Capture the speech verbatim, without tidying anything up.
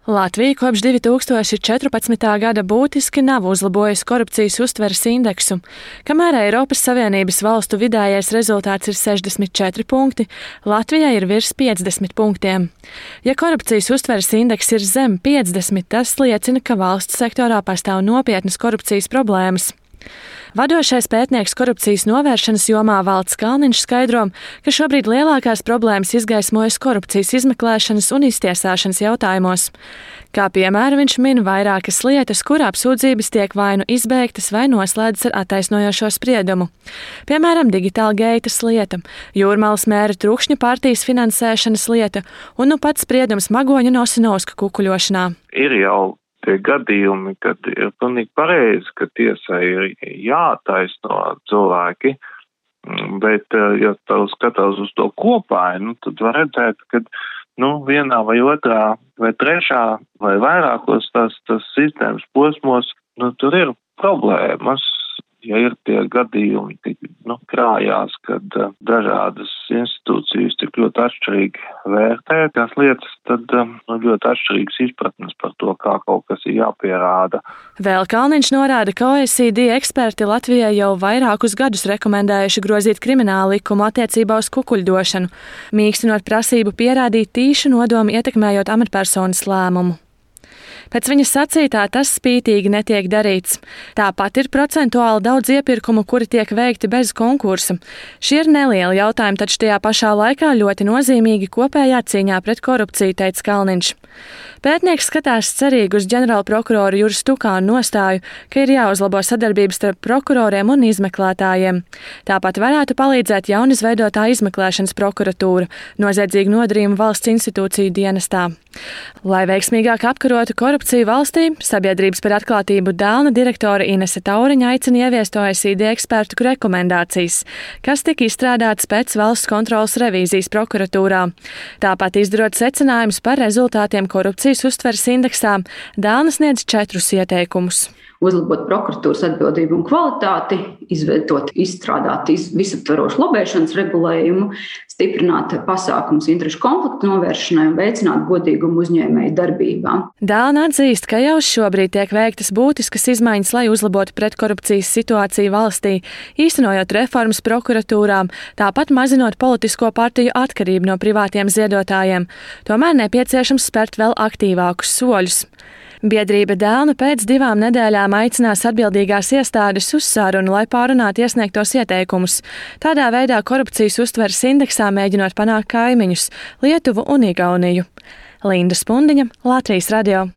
Latvija kopš divi tūkstoši četrpadsmitā gada būtiski nav uzlabojusi korupcijas uztveres indeksu. Kamēr Eiropas Savienības valstu vidējais rezultāts ir sešdesmit četri punkti, Latvijai ir virs piecdesmit punktiem. Ja korupcijas uztveres indeks ir zem piecdesmit, tas liecina, ka valsts sektorā pastāv nopietnas korupcijas problēmas. Vadošais pētnieks korupcijas novēršanas jomā Valds Kalniņš skaidro, ka šobrīd lielākās problēmas izgaismojas korupcijas izmeklēšanas un iztiesāšanas jautājumos. Kā piemēru viņš min vairākas lietas, kur apsūdzības tiek vai nu izbeigtas vai noslēdzas ar attaisnojošo spriedumu. Piemēram, Digital Gates lieta, Jūrmalas mēra Trukšņa partijas finansēšanas lieta un nu pats spriedums Magoņa un Osinovska kukuļošanā. Ir jau tie gadījumi, kad ir pilnīgi pareizi, ka tiesai ir jātaisno cilvēki, bet, ja tā skatās uz to kopāju, nu, tad var redzēt, ka nu, vienā vai otrā vai trešā vai vairākos tās, tās sistēmas posmos, nu, tur ir problēmas. Ja ir tie gadījumi, tik, nu, krājās, kad uh, dažādas institūcijas tik ļoti atšķirīgi vērtē tās lietas, tad uh, nu, ļoti atšķirīgas izpratnes par to, kā kaut kas ir jāpierāda. Vēl Kalniņš norāda, ka O E C D eksperti Latvijai jau vairākus gadus rekomendējuši grozīt kriminālu likumu attiecībā uz kukuļdošanu, mīkstinot prasību pierādīt tīšu nodomu ietekmējot amatpersonas lēmumu. Pēc viņa sacītā tas spītīgi netiek darīts. Tāpat ir procentuāli daudz iepirkumu, kuri tiek veikti bez konkursa. Šie ir nelieli jautājumi, taču tajā pašā laikā ļoti nozīmīgi kopējā cīņā pret korupciju, teica Kalniņš. Pētnieks skatās cerīgi uz ģenerāla prokuroru Juris Tukānu nostāju, ka ir jāuzlabo sadarbības starp prokuroriem un izmeklētājiem. Tāpat varētu palīdzēt jaunizveidotā izmeklēšanas prokuratūra, noziedzīgu nodarījumu valsts institūciju dienestā. Lai veiksmīgāk apkarotu korupciju valstī, Sabiedrības par atklātību Dēlna direktore Inese Tauriņa aicina ieviest O E C D ekspertu rekomendācijas, kas tika izstrādātas pēc valsts kontrolas revīzijas prokuratūrā. Tāpat izdarot secinājumus par rezultātiem korupcijas uztveres indeksā, Dēlna sniedz četrus ieteikumus. Uzlabot prokuratūras atbildību un kvalitāti, izveidot, izstrādāt visaptvarošu lobēšanas regulējumu, stiprināt pasākumus interešu konfliktu novēršanai un veicināt godīgumu uzņēmēju darbībā. Dēlna atzīst, ka jau šobrīd tiek veiktas būtiskas izmaiņas, lai uzlabotu pretkorupcijas situāciju valstī, īstenojot reformas prokuratūrām, tāpat mazinot politisko partiju atkarību no privātiem ziedotājiem. Tomēr nepieciešams spērt vēl aktīvākus soļus. Biedrība Dēlna pēc divām nedēļām aicinās atbildīgās iestādes uz sarunu, lai pārunātu iesniegtos ieteikumus. Tādā veidā korupcijas uztveres indeksā mēģinot panākt kaimiņus – Lietuvu un Igauniju. Linda Spundiņa, Latvijas radio.